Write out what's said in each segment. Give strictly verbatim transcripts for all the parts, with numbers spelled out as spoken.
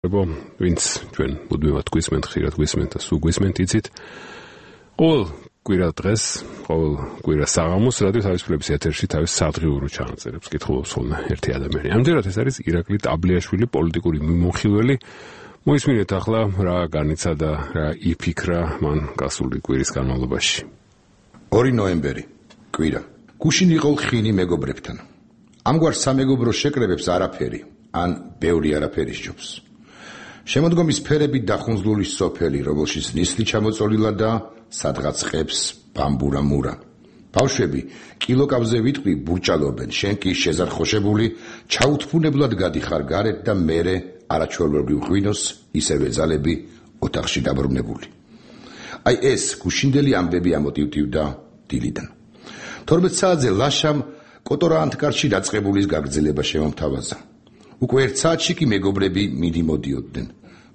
ვინც ჩვენ მუდმივად გვისმენთ, ხშირად გვისმენთ და სულ გვისმენთ იცით. ყოველ კვირა დღეს, ყოველ კვირა საღამოს რადიო თავისუფლების ეთერში თავის სადღიურო ჩანაწერებს კითხულობს ხოლმე ერთი ადამიანი. ამჯერად ეს არის ირაკლი ტაბლიაშვილი, პოლიტიკური მიმოხილველი. მოისმინეთ ახლა რა განიცა და რა იფიქრა მან გასული კვირის განმავლობაში. ორი ნოემბერი, კვირა. გუშინ იყო ხინი მეგობრებთან. ამგვარ სამეგობრო შეკრებებს არაფერი, ან ბევრი არაფერი სჯობს. შემოდგომის ფერები დახუნძლული სოფელი, რომელშიც ნისლი ჩამოწოლილა და სადღაც ყებს ბამბურა მურა. ბავშვები კილოკავზე ვიტყვი ბურჭალობენ, შენ კი შეზარხოშებული, ჩაუთფუნებლად გადიხარ გარეთ და მერე არაჩვეულებრივ ღვინოს ისევე ძალები ოთახში დაბრუნებული. აი ეს გუშინდელი ამბები ამოტივტივდა დილიდან. თორმეტ საათზე ლაშამ კოტორა ანთკარში დაწყებულის გაგრძელება შემომთავაზა. უკვე ერთ საათში კი მეგობრები მიდი მოდიოდნენ,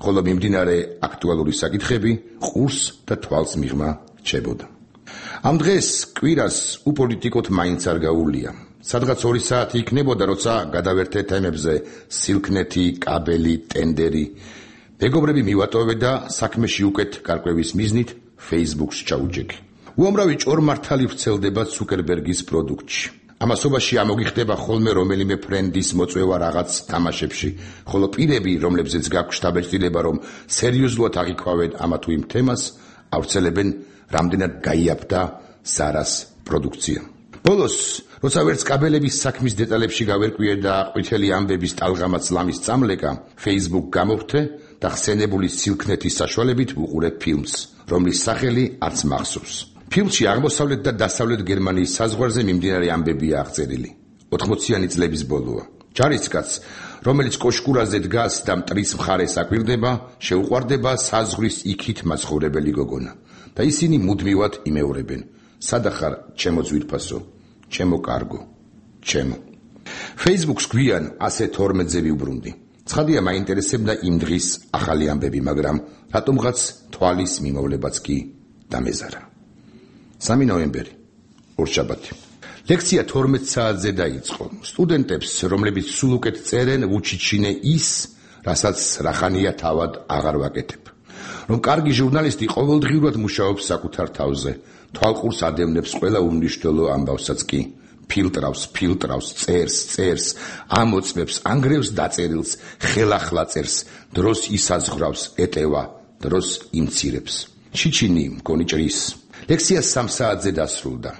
ხოლო მიმდინარე აქტუალური საკითხები ყურს და თვალს მიღმა რჩებოდა. ამ დღეს კვირას უპოლიტიკოთ მაინც არ გაუვლია. სადღაც ორი საათი იქნებოდა, როცა გადავერთე თემებზე სილქნეთი, კაბელი, ტენდერი. მეგობრები მივატოვე და საქმეში უკეთ გარკვევის მიზნით Facebook-ს ჩაუჯექი. უამრავი ჭორმართალი ვრცელდება ცუკერბერგის პროდუქტში. ამასობაში ამოგიხდება ხოლმე რომელიმე ფრენდის მოწვევა რაღაც თამაშებში, ხოლო პირები, რომლებზეც გაქვთ შთაბეჭდილება, რომ სერიოზულად აღიქვავენ ამა თუ იმ თემას, ავრცელებენ რამდენად გაიაფთა ზარას პროდუქცია. ბოლოს, როცა ვერც კაბელების საქმის დეტალებში გავერკვიე და ყვითელი ამბების ტალღამაც ლამის წამლეკა, Facebook გამოვთე და ხსენებული სილქნეთის საშუალებით ვუყურე ფილმს, რომლის სახელი არც მახსოვს. ფილმში აღმოსავლეთ და დასავლეთ გერმანიის საზღვარზე მიმდინარე ამბებია აღწერილი. ოთხმოციანი წლების ბოლოა. ჯარისკაც, რომელიც კოშკურაზე დგას და მტრის მხარეს აკვირდება, შეუყვარდება საზღვრის იქით მაცხოვრებელი გოგონა. და ისინი მუდმივად იმეორებენ: სადახარ ჩემო ძვირფასო, ჩემო კარგო, ჩემო. Facebook-ს გვიან ასე თორმეტზე ვიუბრუნდი. ცხადია მაინტერესებდა იმ დღის ახალი ამბები, მაგრამ რატომღაც თვალის მიმოვლებაც კი დამეზარა. სამი ნოემბერი, ორშაბათი. ლექცია თორმეტ საათზე დაიწყო. სტუდენტებს, რომლებიც სულ უკეთ წერენ, ვუჩიჩინე ის, რასაც რახანია თავად აღარ ვაკეთებ. რომ კარგი ჟურნალისტი ყოველდღიურად მუშაობს საკუთარ თავზე, თვალყურს ადევნებს ყველა უმნიშვნელო ამბავსაც კი. ფილტრავს, ფილტრავს, წერს, წერს, ამოწმებს, ანგრევს დაწერილს, ხელახლა წერს, დროს ისაზღვრავს, ეტევა, დროს იმცირებს. ჩიჩინი მგონი ჭრის. ლექცია სამ საათზე დასრულდა.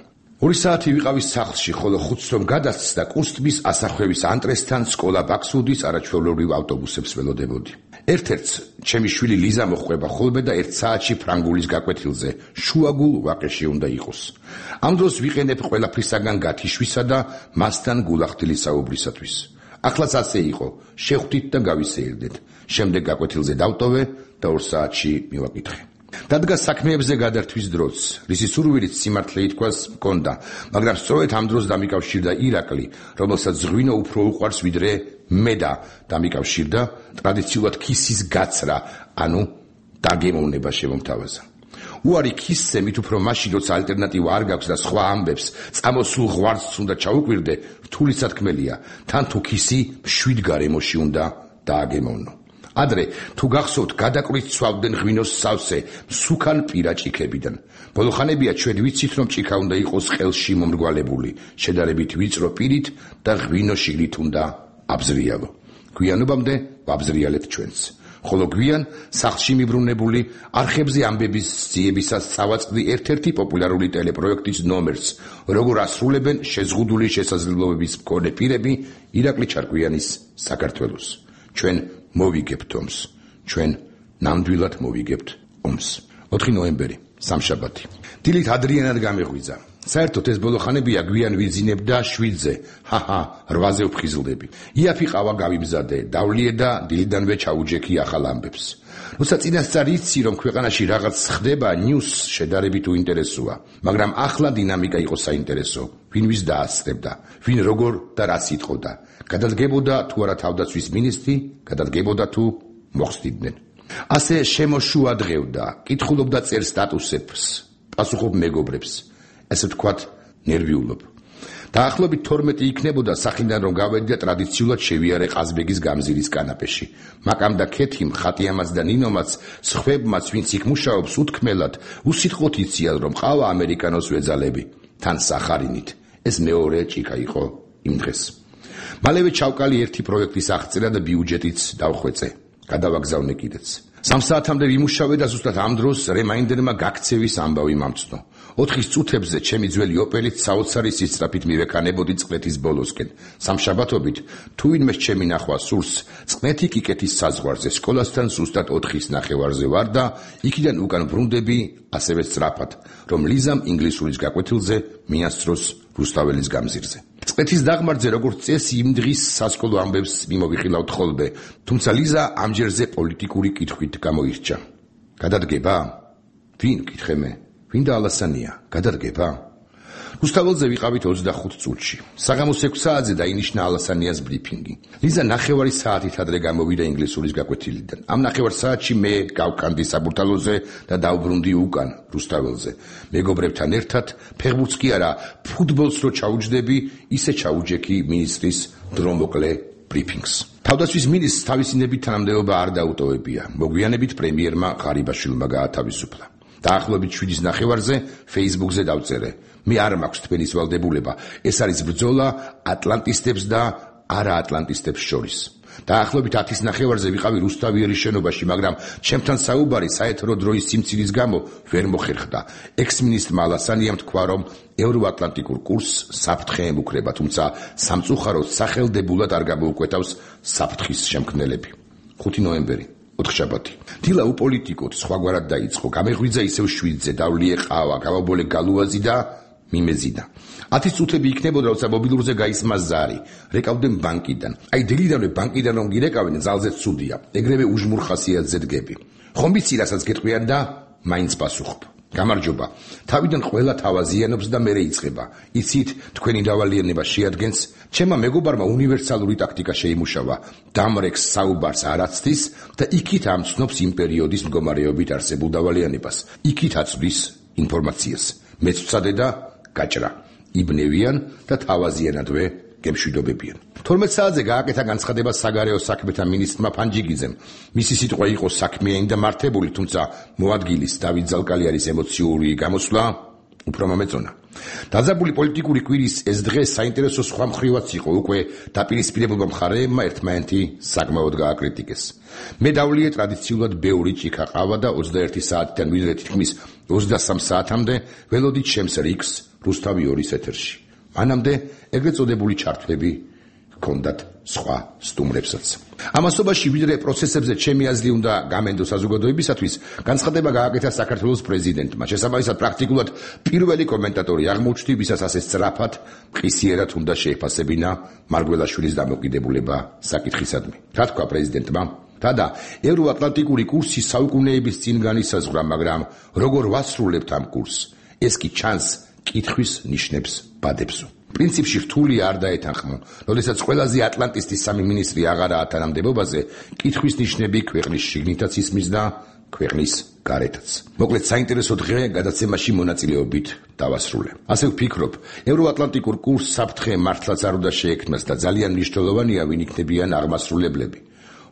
ორი საათი ვიყავი სახლში, ხოლო ხუთს რომ გადასცდა, კურსტმის ასახვევის ანტრესთან სკოლა ბაქსუდის არაჩვეულებრივ ავტობუსებს ველოდებოდი. ერთ-ერთს ჩემი შვილი ლიზა მოხვება ხოლმე და ერთ საათში ფრანგულის გაკვეთილზე, შუაგულ ვაკეში უნდა იყოს. ამ დროს ვიყენებ ყველაფრისაგან გათიშვისა და მასთან გულახდილი საუბრისათვის. ახლაც ასე იყო, შევხვდით და გავისეირდეთ. შემდეგ გაკვეთილზე დავტოვე და ორ საათში მივაკითხე. დადგა საქმეებზე გადართვის დროც, რისი სურვილით სიმართლე ითქვას მქონდა, მაგრამ სწორედ ამ დროს დამიკავშირდა ირაკლი, რომელსაც ღვინო უფრო უყვარს ვიდრე მე და დამიკავშირდა ტრადიციულად ქისის გაცრა, ანუ დაგემოვნება შემომთავაზა. უარი ქისზე მით უფრო მაშინ, როცა ალტერნატივა არ გაქვს და სხვა ამბებს, წამოსულ ღვარს უნდა ჩაუკვირდე, რთული სათქმელია, თან თუ ქისი მშვიდ გარემოში უნდა დააგემოვნო. ადრე თუ გახსოვთ, გადაკვირით ცვავდნენ ღვინოს სავსე მსუქან პირაჭიქებიდან. ბოლოხანებია ჩვენ ვიცით, რომ ჭიქა უნდა იყოს ყელში მომრგვალებული, შედარებით ვიწრო პირით და ღვინო შიგნით უნდა აბზრიალო. გვიანობამდე ვაბზრიალებთ ჩვენც. ხოლო გვიან სახლში მიბრუნებული არხებზე ამბების ძიებისას წავაწყდი ერთ-ერთი პოპულარული ტელეპროექტის ნომერს, როგორ ასრულებენ შეზღუდული შესაძლებლობების მქონე პირები ირაკლი ჩარკვიანის საქართველოს. ჩვენ მოვიგებთ ომს, ჩვენ ნამდვილად მოვიგებთ ომს. ოთხი ნოემბერი, სამშაბათი. დილით ადრიანად გამეღვიძა. საერთოდ ეს ბოლოხანებია გვიან ვიძინებ და შვიდზე, ჰაჰა, რვაზე ვფხიზლდები. იაფი ყავა გავიმზადე, დავლიე და დილიდანვე ჩაუჯექი ახალ ამბებს. როცა წინასწარ იცი, რომ ქვეყანაში რაღაც ხდება, ნიუს შედარებით უინტერესოა, მაგრამ ახლა დინამიკა იყო საინტერესო. ვინ ვის დაასწრებდა, ვინ როგორ და რას იტყოდა. გადადგებოდა თუ არა თავდაცვის მინისტრი, გადადგებოდა თუ მოხსნიდნენ. ასე შემოშუა დღევდა, კითხულობდა წერ სტატუსებს, პასუხობ მეგობრებს, ესე ვთქვათ, ნერვიულობ. დაახლოებით თორმეტი იქნებოდა სახიდან რომ გავედი და ტრადიციულად შევიარე ყაზბეგის გამზირის კანაპეში. მაკამ და ქეთიმ, ხატიამაც და ნინომაც, სხვებმაც, ვინც იქ მუშაობს, უთქმელად, უსიტყვოდ იციან რომ ყავა ამერიკანოს ვეძალები, თან სახარინით. ეს მეორე ჭიქა იყო იმ დღეს. მალევე ჩავკალი ერთი პროექტის აღწერა და ბიუჯეტიც დავხვეწე. გადავაგზავნე კიდეც. სამ საათამდე ვიმუშავე და ზუსტად ამ დროს რემაინდერმა გაქცევის ამბავი მომწნო. ოთხის წუთებზე ჩემი ძველი ოპელით საოცარი სისწრაფით მივექანებოდი წყლეთის ბოლოსკენ. სამშაბათობით თუ ვინმე ჩემი ნახვა სურს, წყლეთი კიკეთის საზღვარზე სკოლასთან ზუსტად ოთხის ნახევარზე ვარ და იქიდან უკან ბრუნდები ასევე სწრაფად, რომ ლიზამ ინგლისურის გაკვეთილზე მიასწროს რუსთაველის გამზირზე. წყლეთის დაღმართზე როგორც წესი იმ დღის სასკოლო ამბებს მიმოვიხილავთ ხოლმე, თუმცა ლიზა ამჯერზე პოლიტიკური კითხვით გამოირჩა. გადადგება? ვინ კითხე მე? ვინ და ალასანია? გადადგება? რუსთაველზე ვიყავით ოცდახუთ წუთში. საღამოს ექვს საათზე დაინიშნა ალასანიას ბრიფინგი. ლიზა ნახევარი საათით ადრე გამოვიდა ინგლისურის გაკვეთილიდან. ამ ნახევარ საათში მე გავკანდი საბურთალოზე და დავბრუნდი უკან რუსთაველზე. მეგობრებთან ერთად ფეხბურთს კი არა, ფუტბოლს რო ჩაუჯდები, ისე ჩაუჯექი მინისტრის დრომოკლე ბრიფინგს. თავდაცვის მინისტრს თავისინებით თანამდებობა არ დაუტოვებია. მოგვიანებით პრემიერმა ღარიბაშვილმა გაათავისუფლა. დაახლოებით შვიდის ნახევარზე Facebook-ზე დავწერე. მე არ მაქვს თქვენის ვალდებულება. ეს არის ბრძოლა ატლანტისტებს და არაატლანტისტებს შორის. დაახლოებით ათის ნახევარზე ვიყავი რუსთავიერის შენობაში, მაგრამ ჩემთან საუბარი საეთრო დროის სიმცირის გამო ვერ მოხერხდა. ექს-მინისტრმა ალასანიამ თქვა, რომ ევროატლანტიკურ კურსს საფრთხე ემუქრება, თუმცა სამწუხაროდ სახელდებულად არ გამოუკვეთავს საფრთხის შემქმნელები. ხუთი ნოემბერი ოთხშაბათი. დილა უპოლიტიკოდ სხვაგვარად დაიწყო. გამეღვიძა ისევ შვიდზე, დავლიე ყავა, გავაბოლე გალუაზი და მიმეზიდა. ათის წუთები იქნებოდა, როცა მობილურზე გაისმა ზარი. რეკავდნენ ბანკიდან. აი დილიდანვე ბანკიდან რომ გირეკავენ, ძალზე ცუდია. ეგრევე უჟმურ ხასიათზე დგები. ხომ ვიცი, რასაც გეტყვიან და მაინც პასუხობ. გამარჯობა. თავიდან ყველა თავაზიანობს და მერე იწყება. იცით, თქვენი დავალიანება შეადგენს, ჩემმა მეგობარმა უნივერსალური ტაქტიკა შეიმუშავა. დამრექს საუბარს არაცდის და იქით ამცნობს იმ პერიოდის მდგომარეობით არსებულ დავალიანებას. იქით აწვდის ინფორმაციას. მეც ვცადე და გაჭრა. იბნევიან და თავაზიანადვე გემშვიდობებიან. თორმეტ საათზე გააკეთა განცხადება საგარეო საქმეთა მინისტრმა ფანჯიგიძემ. მისი სიტყვა იყო საქმიანი და მართებული, თუმცა მოადგილის დავით ზალკალიანის ემოციური გამოსვლა უფრო მომეწონა. დაძაბული პოლიტიკური კვირის ეს დღე საინტერესო სხვა მხრივაც იყო. უკვე დაპირისპირებულმა მხარეებმა ერთმანეთი საკმაოდ გააკრიტიკეს. მე დავლიე ტრადიციულად ბევრი ჭიქა ყავა და ოცდაერთი საათიდან ვიდრე თითქმის ოცდასამ საათამდე ველოდით ჩემს რიგს რუსთავი ორის ეთერში. მანამდე ეგრეთ წოდებული ჩართვები ჰქონდათ სხვა სტუმრებსაც. ამასობაში ვიდრე პროცესებზე ჩემი აზრი უნდა გამენდო საზოგადოებისათვის, განცხადება გააკეთა საქართველოს პრეზიდენტმა. შესაბამისად პრაქტიკულად პირველი კომენტატორი აღმოჩნდი, ვისაც ასე სწრაფად მყისიერად უნდა შეეფასებინა მარგველაშვილის დამოკიდებულება საკითხისადმი. რა თქვა პრეზიდენტმა? თადა ევროატლანტიკური კურსი საუკუნეების წინ განისაზღვრა, მაგრამ როგორ ვასრულებთ ამ კურსს? ეს კი ჩანს კითხვის ნიშნებს ბადებსო. პრინციპში რთული არ დაეთანხმო. როდესაც ყველაზე ატლანტისტის სამი მინისტრი აღარაა თანამდებობაზე, კითხვის ნიშნები ქვეყნის შიგნითაც ისმის და ქვეყნის გარეთაც. მოკლედ საინტერესო დღე გადაცემაში მონაწილეობით დავასრულე. ასე ვფიქრობ, ევროატლანტიკურ კურსს საფრთხე მართლაც არ უნდა შეექმნას და ძალიან მნიშვნელოვანია, ვინ იქნებიან აღმასრულებლები.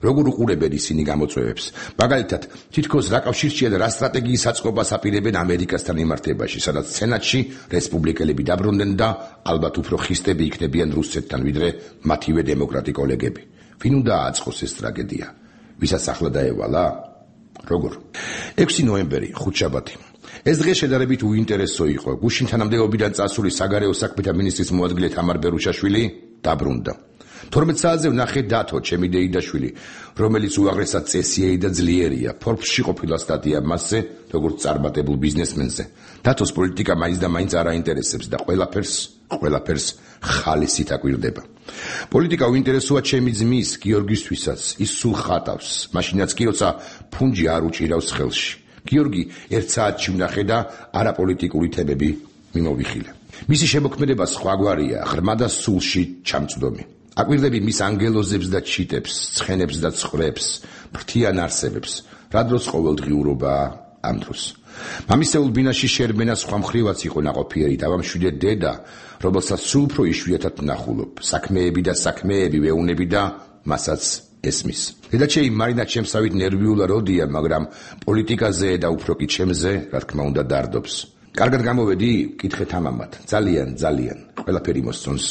როგორ უყურებენ ისინი გამოწვევებს? მაგალითად, თითქოს რა კავშირშია და რა სტრატეგიის აწყობას აპირებენ ამერიკასთან მიმართებაში, სადაც სენატში რესპუბლიკელები დაბრუნდნენ და ალბათ უფრო ხისტები იქნებიან რუსეთთან, ვიდრე მათივე დემოკრატი კოლეგები. ვინ უნდა აწყოს ეს ტრაგედია? ვისაც ახლა დაევალა? როგორ? ექვსი ნოემბერი, ხუთშაბათი. ეს დღე შედარებით უინტერესო იყო. გუშინ თანამდებობიდან წასული საგარეო საქმეთა მინისტრის მოადგილე თამარ ბერუშაშვილი დაბრუნდა. თორმეტ საათზე ვნახე დათო, ჩემი დეიდაშვილი, რომელიც უაღრესად წესიერი და ძლიერია. Forbes-ში ყოფილა სტატია მასზე, როგორც წარმატებულ ბიზნესმენზე. დათოს პოლიტიკა მაინც და მაინც არ აინტერესებს და ყველაფერს, ყველაფერს ხალისით აკვირდება. პოლიტიკა უინტერესოა ჩემი ძმის, გიორგისთვისაც, ის სულ ხატავს, მაშინაც კი როცა ფუნჯი არ უჭირავს ხელში. გიორგი ერთ საათში ვნახე და არაპოლიტიკური თემები მიმოვიხილე. მისი შემოქმედება სხვაგვარია, ღრმა და სულში ჩამწვდომი. აკვირდები მის ანგელოზებს და ჩიტებს, ცხენებს და ცხვრებს, ფრთიან არსებებს, რა დროს ყოველდღიურობა ამ დროს. მამისეულ ბინაში შერბენა სხვა მხრივაც იყო ნაყოფიერი და მშვიდე დედა, რომელსაც სულ უფრო იშვიათად ნახულობ, საქმეები და საქმეები ვეუნები და მასაც ესმის. დედაჩეი მარინა ჩემსავით ნერვიულად როდია, მაგრამ პოლიტიკაზე და უფრო კი ჩემზე, რა თქმა უნდა, დარდობს. კარგად გამოვედი, კითხეთ ამამად. ძალიან, ძალიან. ყველაფერი მოსწონს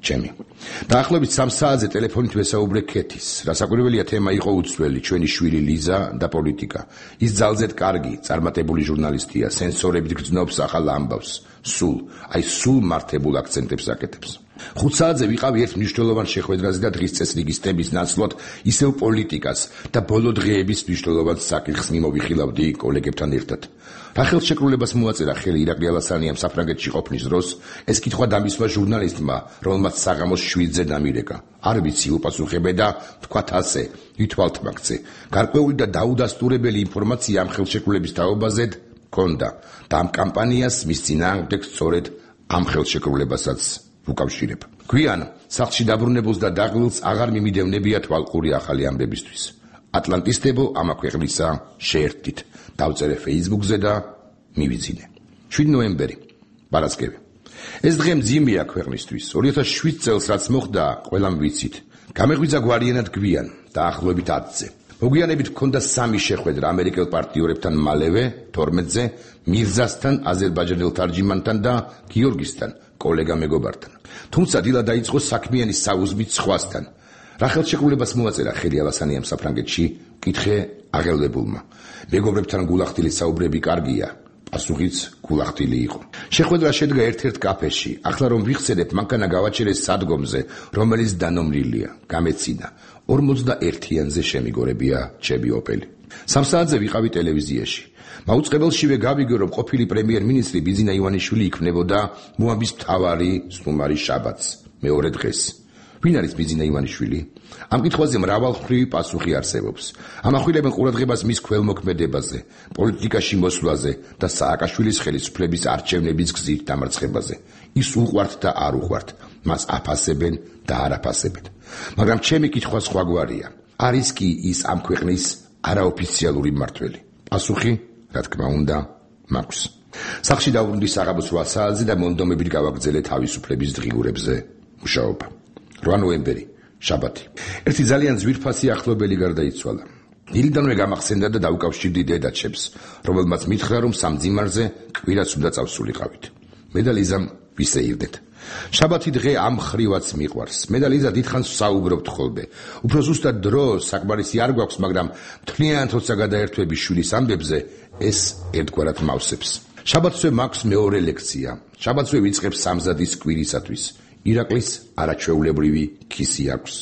ჩემი. დაახლოებით სამ საათზე ტელეფონით ვესაუბრე ქეთის. რასაკვირველია თემა იყო უცვლელი, ჩვენი შვილი ლიზა და პოლიტიკა. ის ძალზედ კარგი, წარმატებული ჟურნალისტია, სენსორებით გრძნობს ახალ ამბავს. სულ, აი სულ მართებულ აქცენტებს აკეთებს. ხუთ საათზე ვიყავი ერთ მნიშვნელოვან შეხვედრაზე და დღის წესრიგის თემის ნაცვლად ისევ პოლიტიკას და ბოლო დღეების მნიშვნელოვან საკითხს მიმოვიხილავდი კოლეგებთან ერთად. რა ხელშეკრულებას მოაწერა ხელი ირაკლი ალასანიამ საფრანგეთში ყოფნის დროს, ეს კითხვა დამისვა ჟურნალისტმა, რომელმაც საღამოს შვიდზე დამირეკა. არ ვიცი, უპასუხებე და თქვათ ასე, ითვალთ მაგზე. გარკვეული და დაუდასტურებელი ინფორმაცია ამ ხელშეკრულების თაობაზე ჰქონდა და ამ კამპანიას მის წინააღმდეგ სწორედ ამ ხელშეკრულებასაც უკავშირებ. გვიან სახლში დაბრუნებულს და დაღლილს აღარ მიმიდევნებია თვალყური ახალი ამბებისთვის. ატლანტისტებო ამა ქვეყნისა შეერთდით. დავწერე Facebook-ზე და მივიძინე. შვიდი ნოემბერი, ბარასკევი. ეს დღე მძიმეა ქვეყნისთვის. ორი ათას შვიდ წელს რაც მოხდა, ყველამ ვიცით. გამეღვიძა გვარიანად გვიან, დაახლოებით ათზე. მოგვიანებით ჰქონდა სამი შეხვედრა ამერიკელ პარტიორებთან მალევე, თორმეტზე, მირზასთან, აზერბაიჯანელ თარჯიმანთან და გიორგისთან, კოლეგა მეგობართან. თუმცა დილა დაიწყო საქმიანი საუზმით სხვასთან. რა ხელშეკრულებას მოაწერა ხელი ალასანიამ საფრანგეთში, კითხე აღელვებულმა. მეგობრებთან გულახდილი საუბრები კარგია, პასუხიც გულახდილი იყო. შეხვედრა შედგა ერთ-ერთ კაფეში. ახლა რომ ვიხსენებ, მანქანა გავაჩერეს სადგომზე, რომელიც დანომრილია, გამეცინა. ორმოცდაერთიანზე შემიგორებია ჩემი ოპელი. სამ საათზე ვიყავი ტელევიზიაში. მაუწყებელშივე გავიგო, რომ ყოფილი პრემიერ-მინისტრი ბიძინა ივანიშვილი იქნებოდა მოამბის მთავარი სტუმარი შაბათს, მეორე დღეს. ვინ არის ბიძინა ივანიშვილი? ამ კითხვაზე მრავალმხრივი პასუხი არსებობს. ამახვილებენ ყურადღებას მის ქველმოქმედებაზე, პოლიტიკაში მოსვლაზე და სააკაშვილის ხელისუფლების არჩევნების გზით დამარცხებაზე. ის უყვართ და არ უყვართ, მას აფასებენ და არ აფასებენ. მაგრამ ჩემი კითხვა სხვაგვარია. არის კი ის ამ ქვეყნის არაოფიციალური მმართველი? პასუხი, რა თქმა უნდა, მაქვს. სახლში დავბრუნდი საღამოს რვა საათზე და მონდომებით გავაგრძელე თავისუფლების დღიურებზე მუშაობა. რვა ნოემბერი, შაბათი. ერთი ძალიან ძვირფასი ახლობელი გარდაიცვალა. დილიდანვე გამახსენდა და დაუკავშირდი დედაჩემს, რომელმაც მითხრა, რომ სამძიმარზე კვირაც უნდა წავსულიყავით. მე და ლიზამ ვისეირდეთ. შაბათი დღე ამ ხრივაც მიყვარს. მე და ლიზა დიდხანს საუბრობთ ხოლმე. უფრო ზუსტად დრო საკმარისი არ გვაქვს, მაგრამ მთლიანად როცა გადაერთვები შვილის ამბებზე, ეს ერთგვარად მავსებს. შაბათსვე მაქვს მეორე ლექცია. შაბათსვე ვიწყებ სამზადის კვირისათვის. ირაკლის არაჩვეულებრივი ქისი აქვს.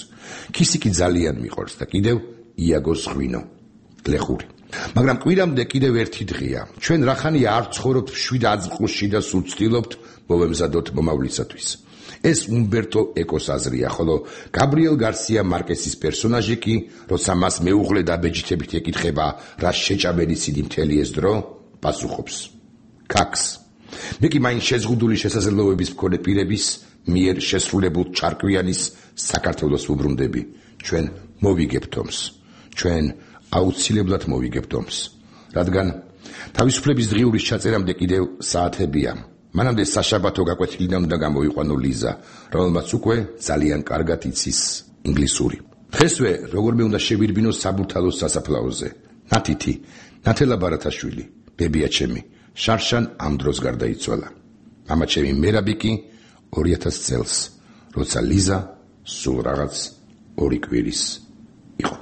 ქისი კი ძალიან მიყვარს და კიდევ იაგოს ღვინო, გლეხური. მაგრამ კვირამდე კიდევ ერთი დღეა. ჩვენ რახანია არ ცხოვრობთ შვიდ აწმყოში და სულ ვცდილობთ მოვემზადოთ მომავლისათვის. ეს უმბერტო ეკოს აზრია, ხოლო გაბრიელ გარსია მარკესის პერსონაჟი კი, როცა მას მეუღლე და ბეჯითებით ეკითხება, რა შეჭამელი სიდი მთელი ეს დრო, პასუხობს. ქაქს. მე კი მაინც შეზღუდული შესაძლებლობების მქონე პირების მიერ შესრულებულ ჩარკვიანის საქართველოს ვუბრუნდები. ჩვენ მოვიგებთ ომს. ჩვენ აუცილებლად მოვიგებთ ომს. რადგან თავისუფლების დღიურის ჩაწერამდე კიდევ საათებია. მანამდე საშაბათო გაკვეთილიდან უნდა გამოიყვანო ლიზა, რომელმაც უკვე ძალიან კარგად იცის ინგლისური. დღესვე როგორმე უნდა შევირბინო საბურთალოს სასაფლაოზე. ნათითი, ნათელა ბარათაშვილი, ბებია ჩემი, შარშან ამ დროს გარდაიცვალა. მამა ჩემი მერაბი კი ორი ათას წელს, როცა ლიზა სულ რაღაც ორი კვირის იყო.